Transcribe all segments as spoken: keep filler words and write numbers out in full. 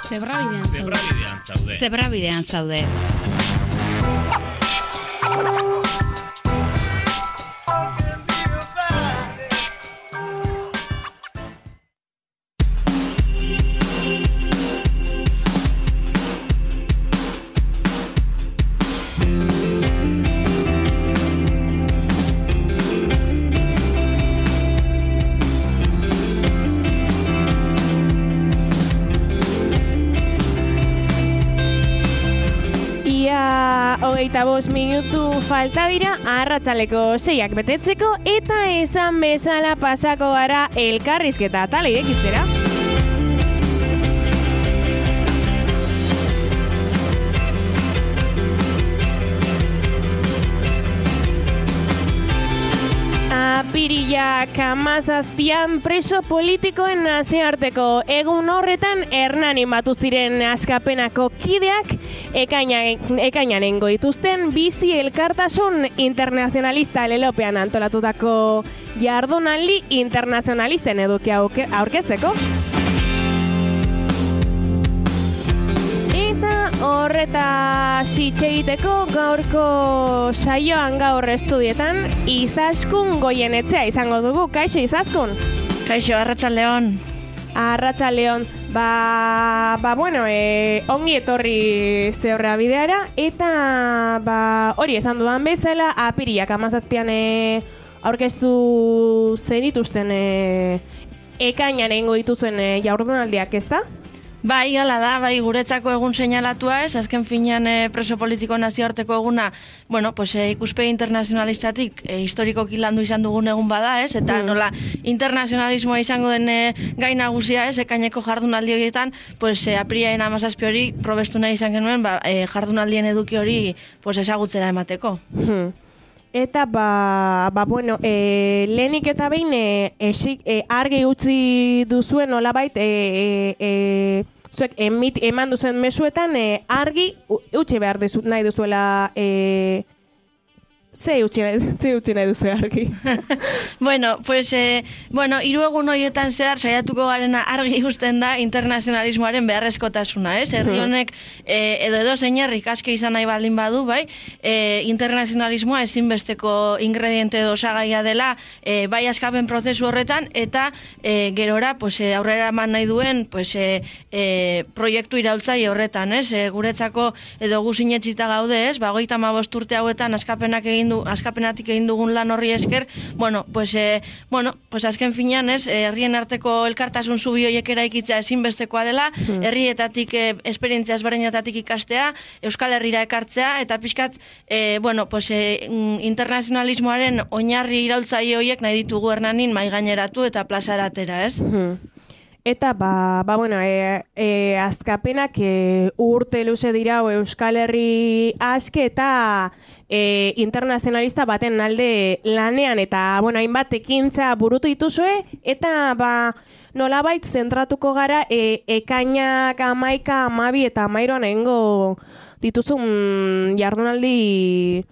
Zebrabidean zaude. Zebrabidean zaude. Zebrabidean zaude. Hogeita bost minutu falta dira arratsaleko seiak betetzeko eta esan bezala pasako gara elkarrizketa atala irekitzera. Apirilak hamazazpian preso politikoen nazioarteko egun horretan Hernanin batu ziren Askapenako kideak ekainanengo dituzten bizi elkartasun internazionalista lelopean antolatutako jardunaldi internazionalisten edukia aurkezteko. Horreta sitxegiteko gaurko saioan gaur estudietan Izaskun Goienetzea izango dugu. Kaixo Izaskun? Kaixo, arratsaldeon. Arratsaldeon. Ba, ba bueno, e, ongi etorri zeurra bideara eta ba, hori esan dudan bezala apirilak hamazazpian e, aurkeztu zenituzten e, ekainan egingo dituzuen e, jardunaldiak, ezta? Bai, hala da, bai, guretzako egun seinalatua ez, azken finean e, preso politiko nazioarteko eguna, bueno, pues, e, ikuspegi internazionalistatik e, historikoki landu izan dugun egun bada ez, eta mm. nola internazionalismoa izango den e, gai nagusia ez, ekaineko jardunaldi horietan, pues, e, apiriaren hamazazpi hori probestu nahi izan genuen, ba, e, jardunaldien eduki hori pues, ezagutzera emateko. Hmm. Eta, ba, ba bueno, e, lehenik eta behin e, esik, e, argi utzi duzuen nolabait, e, e, e, zuek emit, eman duzuen mesuetan e, argi utzi behar dizu, nahi duzuela e, Ze utzi nahi, ze utzi nahi duzu argi? bueno, pues, eh, bueno, hiru egun horietan zehar saiatuko garena argi ikusten da internazionalismoaren beharrezkotasuna, ez? Herri honek eh, edo edo zein herrik aske izan nahi baldin badu, bai? Eh, internazionalismoa ezinbesteko ingrediente edo osagaia dela, eh, bai askapen prozesu horretan, eta eh, gerora, pues, eh, aurrera eman nahi duen, pues, eh, eh, proiektu iraultzaile horretan, ez? Eh, guretzako edo gu sinetsita gaude, ez? Ba, hogeita hamabost urte hauetan askapenak egin du, askapenatik egin dugun lan horri esker, bueno, pues, eh, bueno, pues azken finean ez, herrien arteko elkartasun zubi horiek eraikitzea ezinbestekoa dela, mm. herrietatik, eh, esperientzia ezberdinetatik ikastea, Euskal Herrira ekartzea, eta pixkat, eh, bueno, pues, eh, internazionalismoaren oinarri iraultzaile horiek nahi ditugu Hernanin mai gaineratu eta plazaratera, ez? Mm. Eta, ba, ba bueno, e, e, azkapenak e, urte luze dira Euskal Herri aske eta e, internazionalista baten alde lanean, eta, bueno, hainbat ekintza burutu dituzue, eta, ba, nolabait zentratuko gara e, ekainak amaika, amabi eta amairuan egingo dituzun jardunaldi...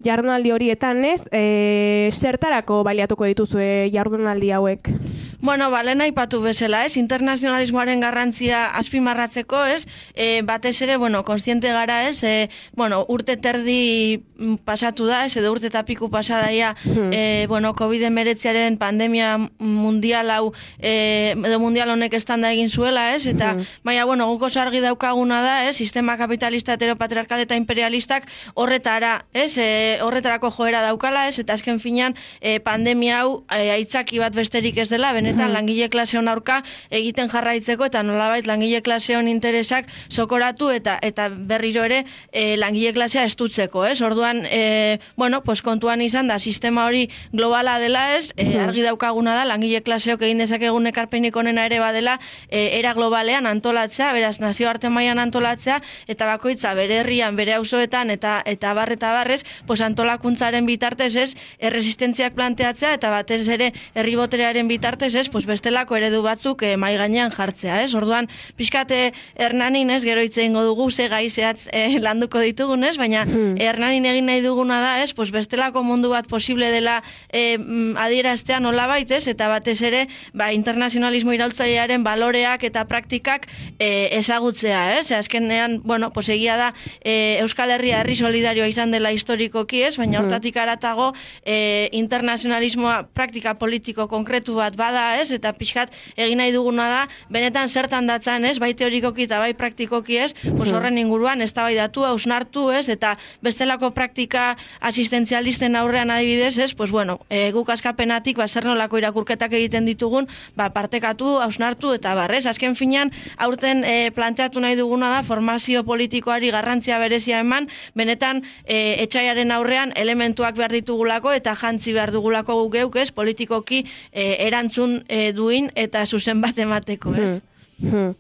Jardunaldi horietan, ez? E, zertarako baliatuko dituzue jardunaldi hauek? Bueno, balena aipatu bezala, ez? Internazionalismoaren garrantzia azpimarratzeko, ez? E, batez ere, bueno, kontziente gara, ez? E, bueno, urte terdi pasatu da, ez? Edo urte tapiku pasadaia, hmm. e, bueno, covid hemeretziaren pandemia mundial hau, e, edo mundial honek estanda egin zuela, ez? Eta, hmm. baina, bueno, guko argi daukaguna da, ez? Sistema kapitalista, heteropatriarkal eta imperialistak horretara, ez? E, horretarako joera daukala, ez? Eta azken finean, e, pandemia hau e, aitzaki bat besterik ez dela, benetan langile klaseon aurka egiten jarraitzeko eta nolabait langile klaseon interesak sokoratu eta eta berriro ere e, langile klasea estutzeko, ez? Orduan, e, bueno, pues kontuan izan da sistema hori globala dela, ez? E, argi daukaguna da langile klaseok egin dezakegun ekarpenik onena ere badela, e, era globalean antolatzea, beraz nazioarte mailan antolatzea eta bakoitza bere herrian, bere auzoetan eta eta bar eta barrez, pues antolakuntzaren bitartez, ez? Erresistentziak planteatzea eta batez ere herri boterearen bitartez, ez, pues bestelako eredu batzuk eh, mai gainean jartzea, ez? Orduan, pixkate Hernanin, ez, gero hitze egingo dugu ze gai zehatz eh, landuko ditugun, ez? Baina hmm. Hernanin egin nahi duguna da, ez? Pues bestelako mundu bat posible dela eh, adieraztea nolabait, ez? Eta batez ere, ba, internazionalismo iraultzailearen baloreak eta praktikak eh, ezagutzea, ez? Azkenean, bueno, pues egia da eh, Euskal Herria herri solidarioa izan dela historikoki, ez? Baina hortatik aratago eh, internazionalismoa praktika politiko konkretu bat bada, ez? Eta pixkat egin nahi duguna da, benetan zertan datzan, ez? Bai teorikoki eta bai praktikoki, ez? Pues horren inguruan eztabaidatu, hausnartu, ez? Eta bestelako praktika asistentzialisten aurrean adibidez, ez? Pues bueno, e, guk askapenatik ba zer nolako irakurketak egiten ditugun, ba partekatu, hausnartu eta barrez. Azken finean, aurten e, planteatu nahi duguna da formazio politikoari garrantzia berezia eman, benetan e, etxaiaren aurrean elementuak behar ditugulako eta jantzi behar dugulako guk geuk, ez? Politikoki e, erantzun e, duin eta zuzen bat emateko, ez? Hmm. Hmm.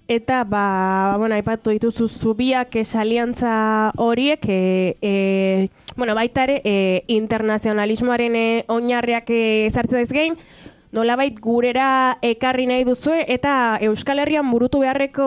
Eta, ba, bueno, aipatu dituzu zubiak esaliantza horiek, e, e, bueno, baita ere, e, internazionalismoaren e, oinarriak ezartzen ez gein, nolabait gurera ekarri nahi duzue, eta Euskal Herrian burutu beharreko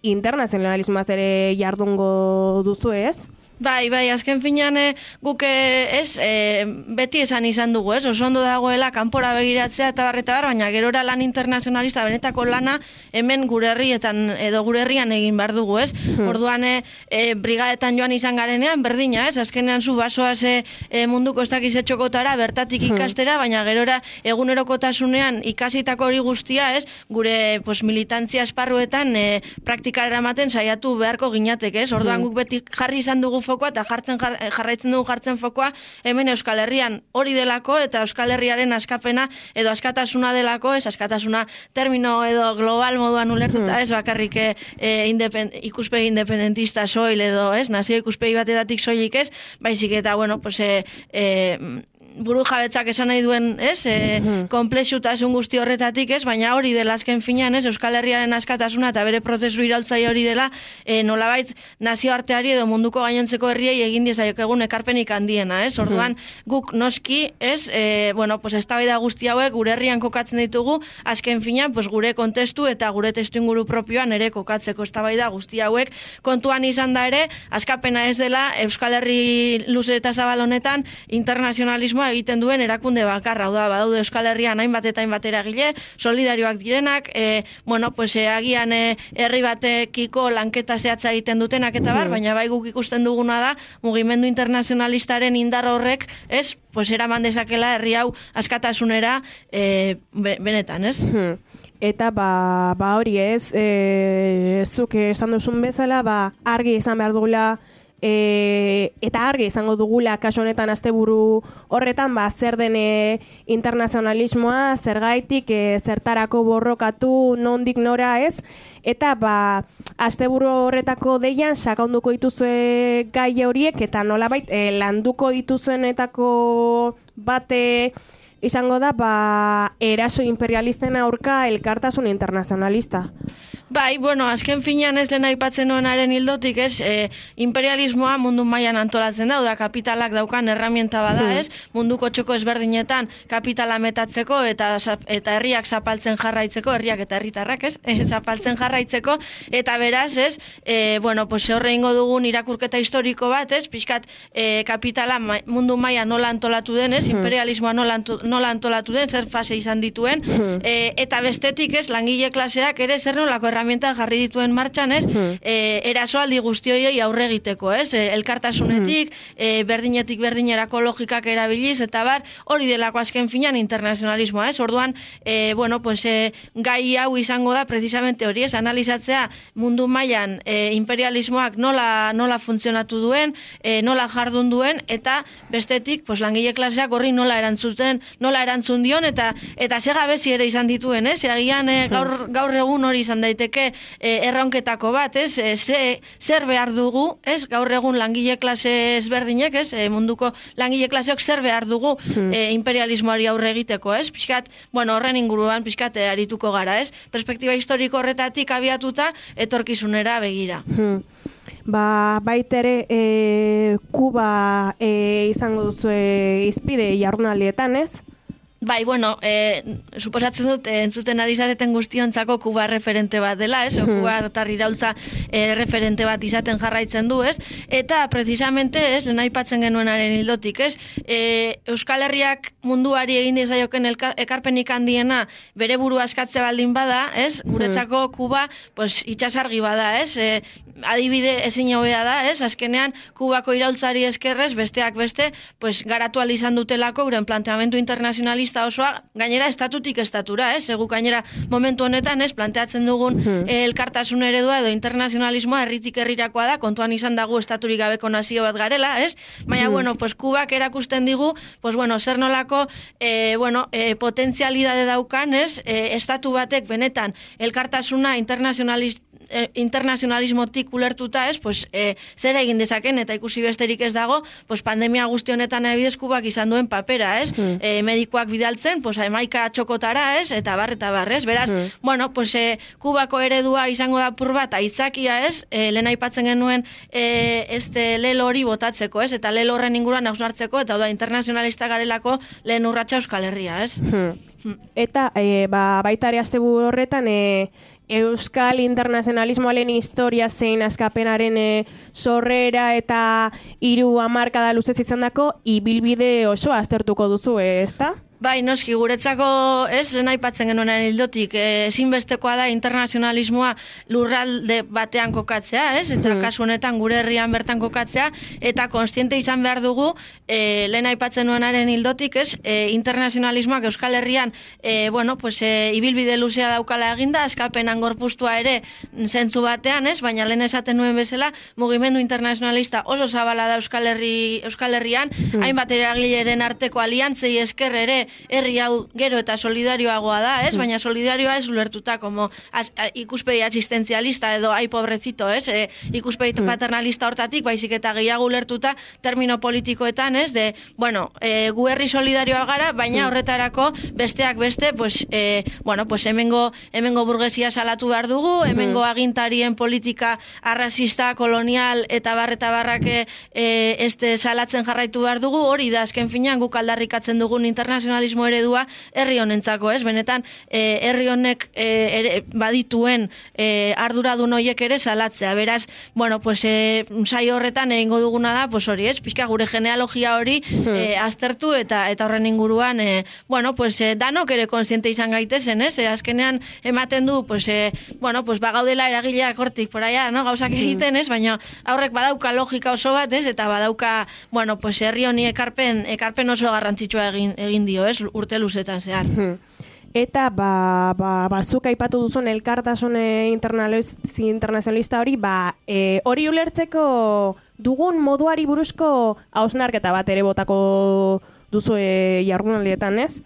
internazionalismoaz ere jardungo duzue, ez? Bai, bai, azken finean e, guk e, ez, e, beti esan izan dugu, ez? Oso ondo dagoela kanpora begiratzea eta barreta bar, baina gerora lan internazionalista benetako lana hemen gure herrietan edo gure herrian egin behar dugu, ez? Hmm. Orduan e, e, brigadetan joan izan garenean berdina, ez? Azkenean zu basoaz e, e, munduko ez dakiz etxokotara bertatik ikastera, baina gerora egunerokotasunean ikasitako hori guztia, ez? Gure pues, militantzia esparruetan e, praktikara ematen saiatu beharko ginatek, ez? Orduan guk beti jarri izan dugu fokoa eta jartzen jar, jarraitzen dugu jartzen fokoa hemen Euskal Herrian hori delako eta Euskal Herriaren askapena edo askatasuna delako, ez askatasuna termino edo global moduan ulertuta, ez bakarrik e, independ, ikuspegi independentista soil edo, ez, nazio ikuspegi batetatik soilik ez, baizik eta, bueno, pues, e, e, buru jabetzak esan nahi duen, ez, e, konplexutasun guzti horretatik, ez, baina hori dela azken finean, ez, Euskal Herriaren askatasuna eta bere prozesu iraultzaile hori dela, e, nolabait nazioarteari edo munduko gainontzeko herriei egin diezaiok egun ekarpenik handiena, ez, orduan guk noski, ez, e, bueno, pues eztabaida guzti hauek gure herrian kokatzen ditugu, azken finean, pues gure kontestu eta gure testuinguru propioan ere kokatzeko eztabaida guzti hauek kontuan izan da ere, askapena ez dela Euskal Herri luze eta zabal honetan internazionalismoa egiten duen erakunde bakarra, hau da, badaude Euskal Herrian hainbat eta hainbat eragile, solidarioak direnak, e, bueno, pues e, agian e, herri batekiko lanketa zehatza egiten dutenak eta bar, baina bai guk ikusten duguna da, mugimendu internazionalistaren indar horrek, ez, pues eraman dezakela herri hau askatasunera e, benetan, ez? Eta ba, ba hori ez, e, zuk esan duzun bezala, ba argi izan behar dugula, E, eta argi izango dugula kasu honetan asteburu horretan ba zer den e, internazionalismoa, zergaitik, e, zertarako borrokatu, nondik nora, ez? Eta ba asteburu horretako deian sakonduko dituzue gai horiek eta nolabait e, landuko dituzuenetako bate izango da ba eraso imperialisten aurka elkartasun internazionalista. Bai, bueno, azken finean ez lehen aipatzen nuenaren hildotik, ez, e, imperialismoa mundu mailan antolatzen da, da kapitalak daukan herramienta bada, ez, munduko txoko ezberdinetan kapitala metatzeko eta eta herriak zapaltzen jarraitzeko, herriak eta herritarrak, ez, e, zapaltzen jarraitzeko, eta beraz, ez, e, bueno, pues horre ingo dugun irakurketa historiko bat, ez, pixkat e, kapitala ma, mundu mailan nola antolatu den, ez, imperialismoa nola, anto, nola antolatu den, zer fase izan dituen, e, eta bestetik, ez, langile klaseak ere zer nolako herramienta jarri dituen martxan, ez, e, erasoaldi guzti horiei aurre egiteko, ez, e, elkartasunetik, e, berdinetik berdinerako logikak erabiliz, eta bar, hori delako azken finan internazionalismoa, ez, orduan, e, bueno, pues, e, gai hau izango da, precisamente hori, ez, analizatzea mundu mailan e, imperialismoak nola, nola funtzionatu duen, e, nola jardun duen, eta bestetik, pues, langile klaseak horri nola erantzuten, nola erantzun dion, eta eta ze gabezi ere izan dituen, ez, agian e, gaur, gaur egun hori izan daiteke e, erronketako bat, ez, e, ze, zer behar dugu, ez, gaur egun langile klase ezberdinek, ez, e, munduko langile klaseok zer behar dugu e, imperialismoari aurre egiteko, ez, pixkat, bueno, horren inguruan pixkat e, arituko gara, ez, perspektiba historiko horretatik abiatuta etorkizunera begira. Hmm. Ba, baitere e, Kuba e, izango duzu izpide jardunaldietan, ez? Bai, bueno, eh, suposatzen dut, eh, entzuten ari zareten guztiontzako Kuba referente bat dela, ez? O, Kuba otar iraultza eh, referente bat izaten jarraitzen du, ez? Eta, precisamente, ez, lehen aipatzen genuenaren hildotik, ez? Eh, Euskal Herriak munduari egin dizaioken ekarpenik handiena bere buru askatze baldin bada, ez? Guretzako Kuba, pues, itxasargi bada, ez? Eh, adibide ezin hobea da, ez? Azkenean, Kubako iraultzari eskerrez, besteak beste, pues, garatu ahal izan dutelako, uren planteamendu internazionalista osoa, gainera estatutik estatura, ez? Egu gainera momentu honetan, ez? Planteatzen dugun eh, elkartasun eredua edo internazionalismoa herritik herrirakoa da, kontuan izan dago estaturik gabeko nazio bat garela, ez? Baina, bueno, pues, Kubak erakusten digu, pues, bueno, zer nolako, eh, bueno, eh, potentzialidade daukan, ez? Eh, estatu batek benetan elkartasuna internazionalista eh, internazionalismotik ulertuta, ez, pues, eh, zer egin dezaken, eta ikusi besterik ez dago, pues, pandemia guzti honetan ebidez Kubak izan duen papera, ez, mm. eh, medikoak bidaltzen, pues, emaika txokotara, ez, eta bar, eta bar, ez, beraz, mm. bueno, pues, eh, Kubako eredua izango da pur bat, aitzakia, ez, eh, lehen aipatzen genuen, eh, este lelo hori botatzeko, ez, eta lelo horren inguruan hausnartzeko, eta da, internazionalista garelako lehen urratsa Euskal Herria, ez. Mm. Eta, e, ba, baita ere asteburu horretan, e, Euskal internazionalismoaren historia zein askapenaren e, sorrera eta hiru hamarkada luzez izandako ibilbide osoa aztertuko duzu, e, ezta? Bai, noski, guretzako, ez, lehen aipatzen genuen hildotik, ezinbestekoa da internazionalismoa lurralde batean kokatzea, ez, eta mm. kasu honetan gure herrian bertan kokatzea, eta konstiente izan behar dugu, e, lehen aipatzen nuenaren hildotik, ez, e, internazionalismoak Euskal Herrian, e, bueno, pues, e, ibilbide luzea daukala eginda, eskapenan gorpuztua ere zentzu batean, ez, baina lehen esaten nuen bezala, mugimendu internazionalista oso zabala da Euskal, Herri, Euskal Herrian, mm. hainbat eragileren arteko aliantzei esker ere, herri hau gero eta solidarioagoa da, ez? Baina solidarioa ez ulertuta como as, a, ikuspegi asistenzialista edo ai pobrecito, ez? E, ikuspegi paternalista hortatik, baizik eta gehiago ulertuta termino politikoetan, ez? De, bueno, e, gu herri solidarioa gara, baina horretarako besteak beste, pues, e, bueno, pues hemengo, hemengo burgesia salatu behar dugu, hemengo agintarien politika arrazista, kolonial eta barreta barrake e, este salatzen jarraitu behar dugu, hori da azken finean guk aldarrikatzen dugun internazional eredua herri honentzako, ez? Benetan, eh, herri honek eh, ere, badituen eh, arduradun horiek ere salatzea. Beraz, bueno, pues, eh, saio horretan egingo duguna da, pues hori, ez? Pizka gure genealogia hori eh, aztertu eta eta horren inguruan, eh, bueno, pues, eh, danok ere konstiente izan gaitezen, ez? Eh, azkenean ematen du, pues, eh, bueno, pues, bagaudela eragileak hortik, poraia, no? Gauzak egiten, ez? Baina aurrek badauka logika oso bat, ez? Eta badauka, bueno, pues, herri honi ekarpen, ekarpen oso garrantzitsua egin, egin dio, ez, urte luzetan zehar. Eta, ba, ba, bazuk aipatu duzun elkartasun internazionalista hori, ba, e, hori ulertzeko dugun moduari buruzko hausnarketa bat ere botako duzu e, jardunaldietan, ez?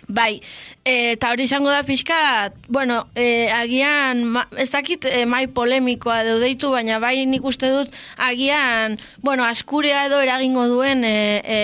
Bai, eta hori izango da pixka, bueno, e, agian, ma, ez dakit e, mai polemikoa edo deitu, baina bai nik uste dut agian, bueno, askurea edo eragingo duen e, e,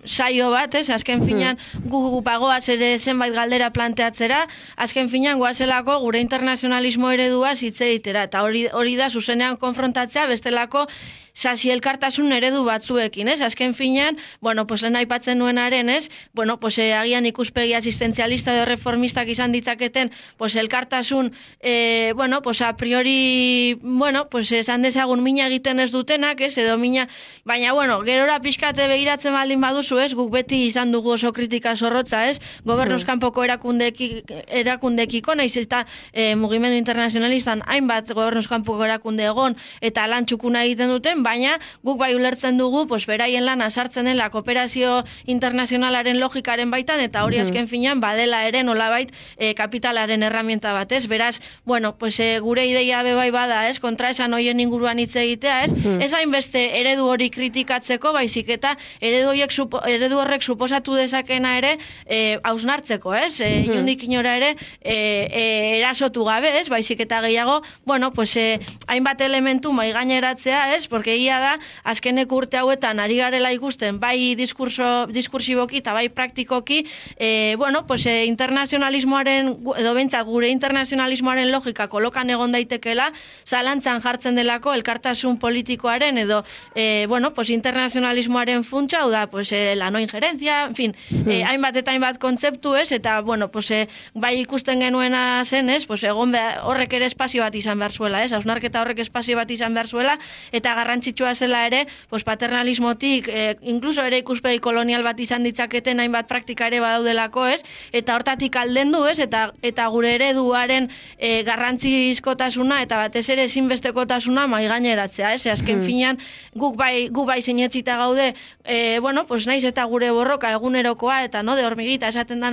saio bat, ez? Azken finean gu bagoaz ere zenbait galdera planteatzera, azken finean goazelako gure internazionalismo eredua zitzeitera, eta hori, hori da zuzenean konfrontatzea bestelako sasi elkartasun eredu batzuekin, ez? Azken finean, bueno, pues lehen aipatzen nuenaren, ez? Bueno, pues eh, agian ikuspegi asistenzialista edo reformistak izan ditzaketen, pues elkartasun, eh, bueno, pues a priori, bueno, pues esan dezagun mina egiten ez dutenak, ez? Edo mina, baina, bueno, gerora pixkate begiratzen baldin baduzu, ez? Guk beti izan dugu oso kritika zorrotza, ez? Gobernuz kanpoko erakundekiko, naiz eta eh, mugimendu internazionalistan hainbat gobernuz kanpoko erakunde egon, eta lan txukuna egiten duten, baina guk bai ulertzen dugu, pues, beraien lana sartzen dela kooperazio internazionalaren logikaren baitan, eta hori azken finean badela ere nolabait e, kapitalaren herramienta batez. Beraz, bueno, pues, e, gure ideia bebai bada, ez, kontra esan hoien inguruan hitz egitea, ez, ez hainbeste eredu hori kritikatzeko, baizik eta eredu, horiek, supo, eredu horrek suposatu dezakena ere e, hausnartzeko, ez, e, inundik inora ere e, e, erasotu gabe, ez, baizik eta gehiago, bueno, pues, e, hainbat elementu maigaineratzea, ez, porque egia da, azkenek urte hauetan ari garela ikusten, bai diskurso, diskursiboki eta bai praktikoki, e, bueno, pues, e, internazionalismoaren, edo bentsat gure internazionalismoaren logika kolokan egon daitekela, zalantzan jartzen delako elkartasun politikoaren edo, e, bueno, pues, internazionalismoaren funtsa, hau da, pues, e, la no injerencia, en fin, e, hainbat eta hainbat kontzeptu ez, eta, bueno, pues, e, bai ikusten genuena zen, ez, pues, egon behar, horrek ere espazio bat izan behar zuela, ez, hausnarketa horrek espazio bat izan behar zuela, eta garrantzitsua zela ere, pues, paternalismotik, e, incluso ere ikuspegi kolonial bat izan ditzaketen hainbat praktika ere badaudelako, ez, eta hortatik aldendu, ez, eta, eta gure ereduaren e, garrantzizkotasuna, eta batez ere ezinbestekotasuna mai gaineratzea, ez, azken hmm. finean, guk bai, gu bai sinetzita gaude, e, bueno, pues, naiz eta gure borroka egunerokoa, eta no, de hormigita esaten da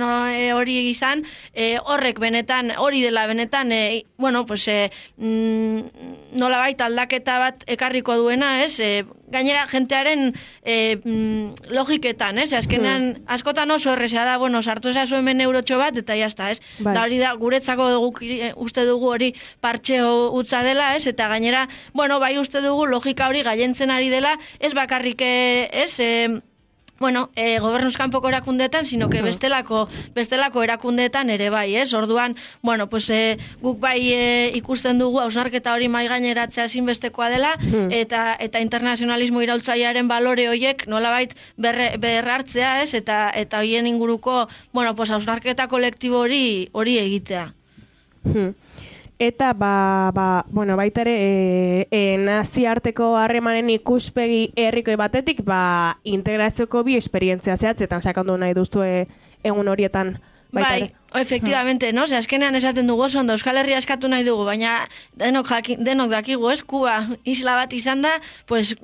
hori e, izan, e, horrek benetan, hori dela benetan, e, bueno, pues, e, mm, nola baita aldaketa bat ekarriko duena, ez, e, gainera jentearen e, mm, logiketan, ez, azkenean hmm. askotan oso errezea da, bueno, sartu ezazu hemen eurotxo bat, eta jazta, ez, bai. Da hori da, guretzako dugu, uste dugu hori partxeo utza dela, ez, eta gainera, bueno, bai uste dugu logika hori gailentzen ari dela, ez bakarrik, ez, e, bueno, e, gobernuz kanpoko erakundeetan, sino que bestelako, bestelako erakundeetan ere bai, ez? Orduan, bueno, pues, e, guk bai e, ikusten dugu hausnarketa hori mai gaineratzea ezinbestekoa dela, eta eta internazionalismo iraultzailearen balore horiek nolabait berre, berrartzea, ez? Eta eta hoien inguruko, bueno, pues, hausnarketa kolektibo hori hori egitea. Hmm. Eta, ba, ba, bueno, baita ere, e, e, naziarteko harremanen ikuspegi herriko batetik, ba, integrazioko bi esperientzia zehatzetan sakondu nahi duztu egun horietan. Baita ere. Bai, efectivamente, no? Ze azkenean esaten dugu oso ondo, Euskal Herria eskatu nahi dugu, baina denok, jaki, denok dakigu, ez? Kuba isla bat izan da, pues,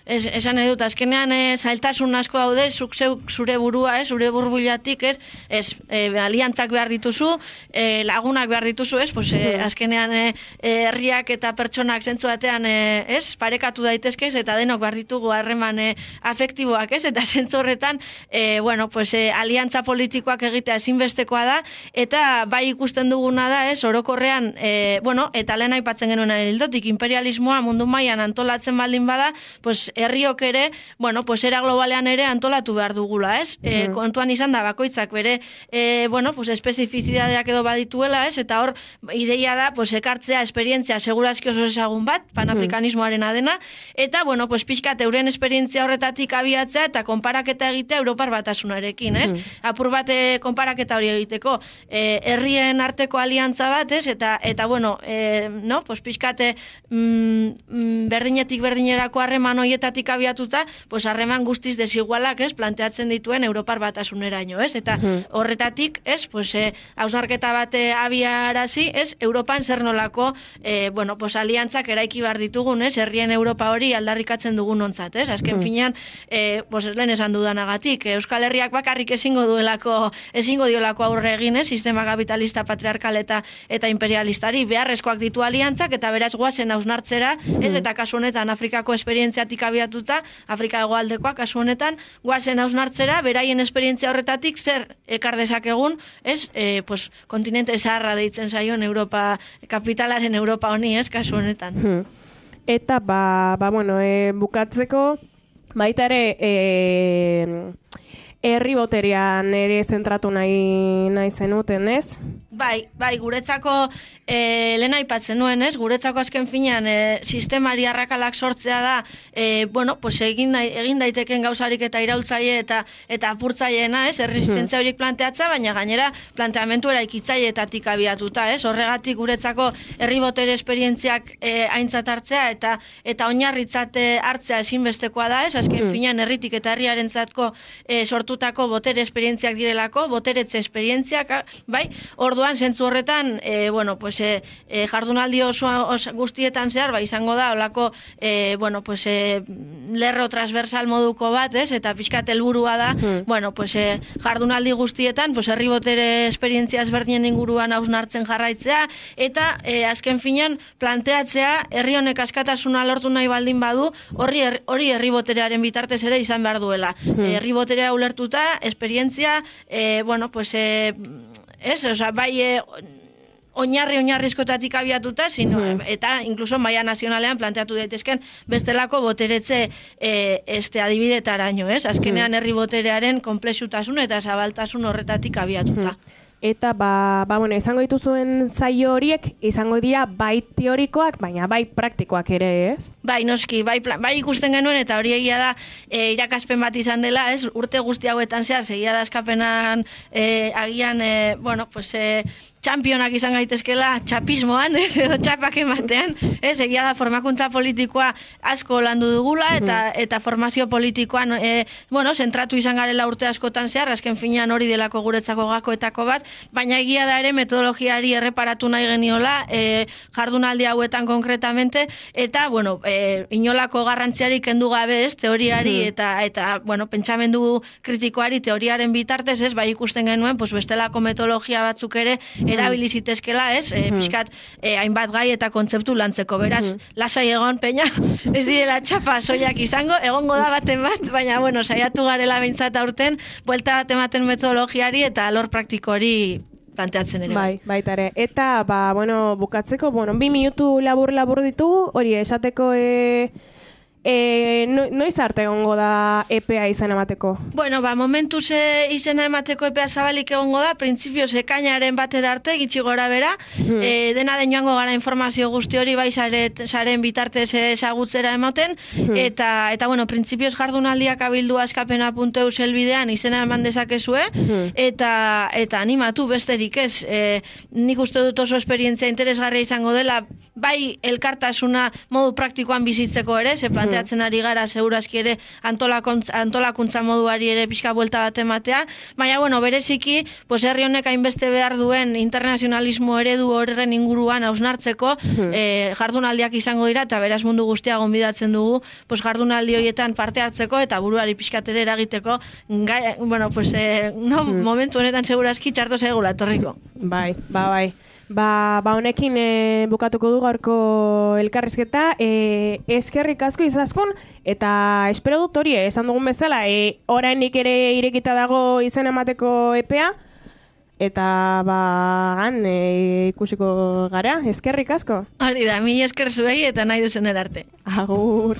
es, esan nahi dut, azkenean e, zailtasun asko daude, zuk zeuk zure burua, ez? Zure burbuliatik, ez? Ez, e, aliantzak behar dituzu, e, lagunak behar dituzu, ez? Pues, e, azkenean e, herriak eta pertsonak zentzu batean, e, ez? Parekatu daitezkez, eta denok behar ditugu harreman e, afektiboak, ez? Eta zentzu horretan, e, bueno, pues, e, aliantza politikoak egitea ezinbestekoa da, eta bai ikusten duguna da, ez, orokorrean, e, bueno, eta lehen aipatzen genuen hildotik, imperialismoa mundu mailan antolatzen baldin bada, pues, herriok ere, bueno, pues, era globalean ere antolatu behar dugula, ez? E, kontuan izan da, bakoitzak bere, e, bueno, pues, espezifizidadeak edo badituela, ez? Eta hor, ideia da, pues, ekartzea esperientzia segurazki oso ezagun bat, panafrikanismoaren adena, eta, bueno, pues, pixkat euren esperientzia horretatik abiatzea, eta konparaketa egitea Europar Batasunarekin, ez? Apur bate konparaketa hori egiteko, eh, herrien arteko aliantza bat, ez? Eta, eta bueno, eh, no? Pues, pixkate mm, berdinetik berdinerako harreman hoietatik abiatuta, pues, harreman guztiz desigualak, ez? Planteatzen dituen Europar Batasuneraino, ez? Eta horretatik, ez? Pues, eh, hausnarketa bate abiarazi, ez? Europan zer nolako, eh, bueno, pues, aliantzak eraiki behar ditugun, ez? Herrien Europa hori aldarrikatzen dugun ontzat, ez? Azken finean, eh, pues, lehen esan dudanagatik, Euskal Herriak bakarrik ezingo duelako, ezingo diolako aurre egin, ez, sistema kapitalista, patriarkal eta eta imperialistari beharrezkoak ditu aliantzak, eta beraz goazen hausnartzera, ez, eta kasu honetan Afrikako esperientziatik abiatuta, Afrika hegoaldekoa kasu honetan, goazen hausnartzera, beraien esperientzia horretatik zer ekar dezakegun, ez, e, pues, kontinente zaharra deitzen zaion Europa, kapitalaren Europa honi, ez, kasu honetan. Eta, ba, ba bueno, e, bukatzeko, baita ere, e, herri boterean ere zentratu nahi, nahi zenuten, ez? Bai, bai, guretzako e, lehen aipatzen nuen, ez? Guretzako azken finean e, sistemari arrakalak sortzea da, e, bueno, pues egin, egin daiteken gauzarik eta iraultzaile eta eta apurtzaileena, ez? Erresistentzia horiek planteatza, baina gainera planteamentu eraikitzaileetatik abiatuta, ez? Horregatik guretzako herri botere esperientziak e, aintzat hartzea eta eta oinarritzat hartzea ezinbestekoa da, ez? Azken finean herritik eta herriarentzatko e, sortutako botere esperientziak direlako, boteretze esperientziak, bai? Orduan zentzu horretan, e, bueno, pues, e, e, jardunaldi oso, oso guztietan zehar, ba, izango da, olako, e, bueno, pues, e, lerro transversal moduko bat, ez, eta pixkat helburua da, mm. bueno, pues, e, jardunaldi guztietan, pues, herri botere esperientzia ezberdinen inguruan hausnartzen jarraitzea, eta e, azken finean planteatzea, herri honek askatasuna lortu nahi baldin badu, hori hori herri boterearen bitartez ere izan behar duela. Mm. Herri boterea ulertuta, esperientzia, e, bueno, pues, e, ez, oza, bai, e, oinarri oinarrizkotatik abiatuta, sino, hmm. eta incluso maila nazionalean planteatu daitezken bestelako boteretze e, este adibidetaraino, ez? Azkenean herri boterearen konplexutasun eta zabaltasun horretatik abiatuta. Hmm. Eta, ba, ba, bueno, izango dituzuen zaio horiek, izango dira bai teorikoak, baina bai praktikoak ere, ez? Bai, noski, bai, bai ikusten genuen, eta hori egia da e, irakaspen bat izan dela, ez? Urte guzti hauetan zehar, segia da eskapenan e, agian, e, bueno, pues... E, txampionak izan gaitezkela txapismoan, ez, edo txapak ematean, ez, egia da formakuntza politikoa asko landu dugula, eta eta formazio politikoan, e, bueno, zentratu izan garela urte askotan zehar, azken finean hori delako guretzako gakoetako bat, baina egia da ere metodologiari erreparatu nahi geniola, e, jardunaldi hauetan konkretamente, eta, bueno, e, inolako garrantziari kendu gabe, ez, teoriari, eta, eta bueno, pentsamendu kritikoari teoriaren bitartez, ez, bai ikusten genuen, pues, bestelako metodologia batzuk ere, erabili zitezkela, ez? E, pixkat, e, hainbat gai eta kontzeptu lantzeko. Beraz, lasai egon, peña, ez direla txapa soiak izango, egongo da baten bat, baina, bueno, saiatu garela behintzat aurten, buelta bat ematen metodologiari eta alor praktiko hori planteatzen ere. Bai, baita ere. Eta, ba, bueno, bukatzeko, bueno, bi minutu labur-labur ditugu, hori esateko... E... E, no, noiz arte egongo da E P A izena emateko? Bueno, ba, momentuz e, izena emateko E P A zabalik egongo da, printzipioz ekainaren batera arte, gitxi gora bera, hmm. e, dena den joango gara informazio guzti hori bai saret, saren bitartez ezagutzera ematen, hmm. eta, eta bueno, printzipioz jardunaldiak abildu askapena puntu eus helbidean izena eman dezakezue, hmm. eta, eta animatu besterik ez, e, nik uste dut oso esperientzia interesgarria izango dela, bai elkartasuna modu praktikoan bizitzeko ere, ze plantea atzen ari gara segurazki ere antolakuntza moduari ere pixka buelta bat ematea, baina bueno, bereziki, pues herri honek hainbeste behar duen internazionalismo eredu horren inguruan hausnartzeko hmm. eh, jardunaldiak izango dira, eta beraz mundu guztia gonbidatzen dugu, pues jardunaldi horietan parte hartzeko eta buruari pixkatere eragiteko, gai, bueno, pues eh, no, hmm. momentu honetan segurazki txarto zaigula etorriko. Bai, ba, bai. Ba, ba honekin e, bukatuko du gaurko elkarrizketa, e, eskerrik asko izaskun, eta espero dut hori, esan dugun bezala, e, orainik ere irekita dago izen emateko E P A, eta ba, gan, e, ikusiko gara, eskerrik asko. Hori da, mi esker zuei eta nahi duzen erarte. Agur.